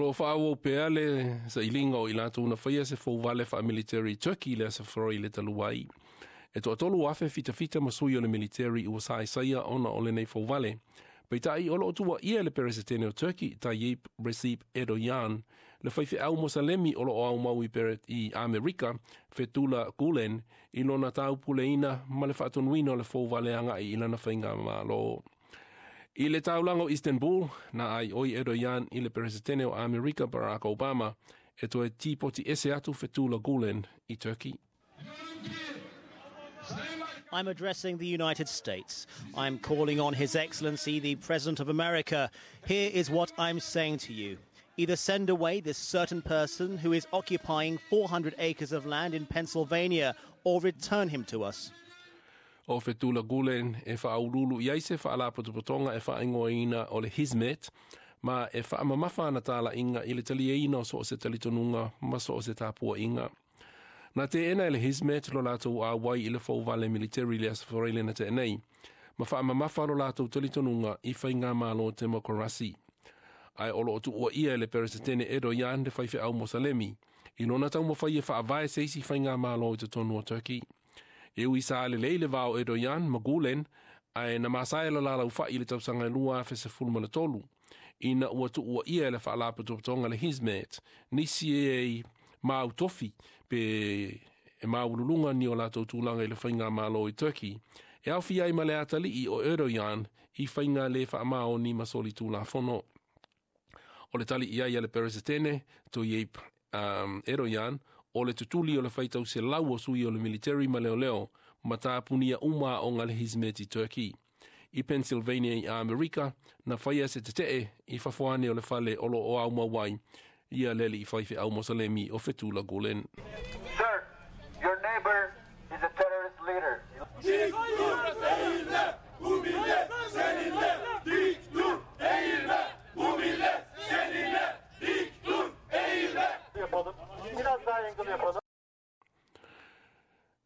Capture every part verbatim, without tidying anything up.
O lo o faaauau pea le sailiga o i latou na faia se fouvale faamiliteri Turkey le Aso Faraile talu ai. E toatolu afe fitafita ma sui o le militeri ua saaisaia ona o lenei fouvale. Peitai o lo o tuuaia le Peresetene o Turkey Tayyip Recep Erdogan le faifeau Mosalemi o lo o aumau i, i Amerika Fethullah Gulen i lona taupuleina ma le faatonuina o le fouvale agai i lana faigamalo. I le taulaga o Istanbul, na aioi Erdogan i le Peresetene o Amerika Barack Obama e toe tipoti ese atu Fethullah Gulen i Turkey. I'm addressing the United States. I'm calling on His Excellency, the President of America. Here is what I'm saying to you. Either send away this certain person who is occupying four hundred acres of land in Pennsylvania or return him to us. O Fethullah Gulen e faauluulu i ai se faalapotopotoga e faaigoaina o le Hizmet ma e faamamafa ana talaiga i le taliaina o so o se talitonuga ma so o se tapuaiga. Na teena e le Hizmet lo latou auai i le fouvale militeri le Aso Faraile na tea nei, ma faamamafa lo latou talitonuga i faigamalo temokarasi. Ae o lo o tuuaia e le Peresetene Erdogan le faifeau Mosalemi i lona taumafai e faavae se isi faigamalo i totonu o Turkey. E ui sa lelei le va o Erdogan ma Gulen, ae na masae lo laulaufai i le tausaga e lua afe sefulu ma le tolu, ina ua tuuaia e le faalapotopotoga le Hizmet nisi e mau tofi pe e maualuluga ni o latou tulaga i le faigamalo i Turkey, e aofia ai ma le atalii o Erdogan i faiga le faamaoni ma solitulafono. O le tali i ai a le Peresetene Tayyip um, Erdogan o le tutuli o le faitau selau o sui o le militeri ma leoleo ma tapunia uma aoga a le Hizmet i Turkey. I Pennsylvania i Amerika, na faia se tetee i fafo ane o le fale o lo o aumau ai ia le alii faifeau Mosalemi o Fethullah Gulen. Sir, your neighbor is a terrorist leader. Dik dur eğilme, bu millet seninle. Dik dur eğilme, bu millet seninle. Dik dur eğilme. Yapalım. Biraz daha angle yapalım.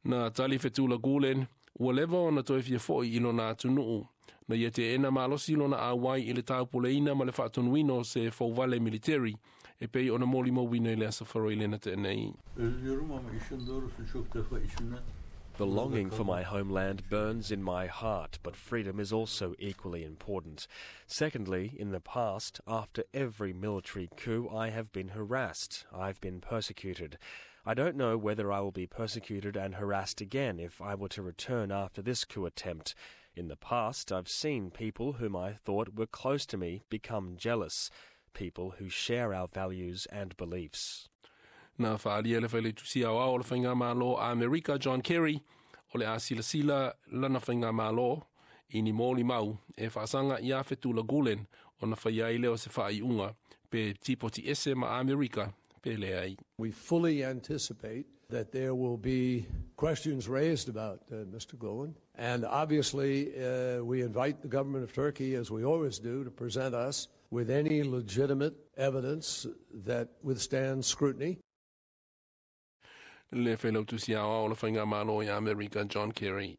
Na tali Fethullah Gulen ua leva ona toe fia foi i lona atunuu. Na ia teena malosi lona auai i le taupuleina ma le faatonuina o se fouvale militeri e pei ona molimauina i le Aso Faraile na tea nei. Özlüyorum ama işin doğrusu çok defa içimden The longing for my homeland burns in my heart, but freedom is also equally important. Secondly, in the past, after every military coup, I have been harassed. I've been persecuted. I don't know whether I will be persecuted and harassed again if I were to return after this coup attempt. In the past, I've seen people whom I thought were close to me become jealous, people who share our values and beliefs. Na faaalia le Failautusi Aoao o le Faigamalo a Amerika John Kerry o le a silasila lana faigamalo i ni molimau e faasaga ia Fethullah Gulen ona faia ai lea o se faaiuga pe tipoti ese ma Amerika pe leai. We fully anticipate that there will be questions raised about uh, Mister Gulen. And obviously, uh, we invite the government of Turkey, as we always do, to present us with any legitimate evidence that withstands scrutiny. Le Failautusi Aoao o le Faigamalo i Amerika John Kerry.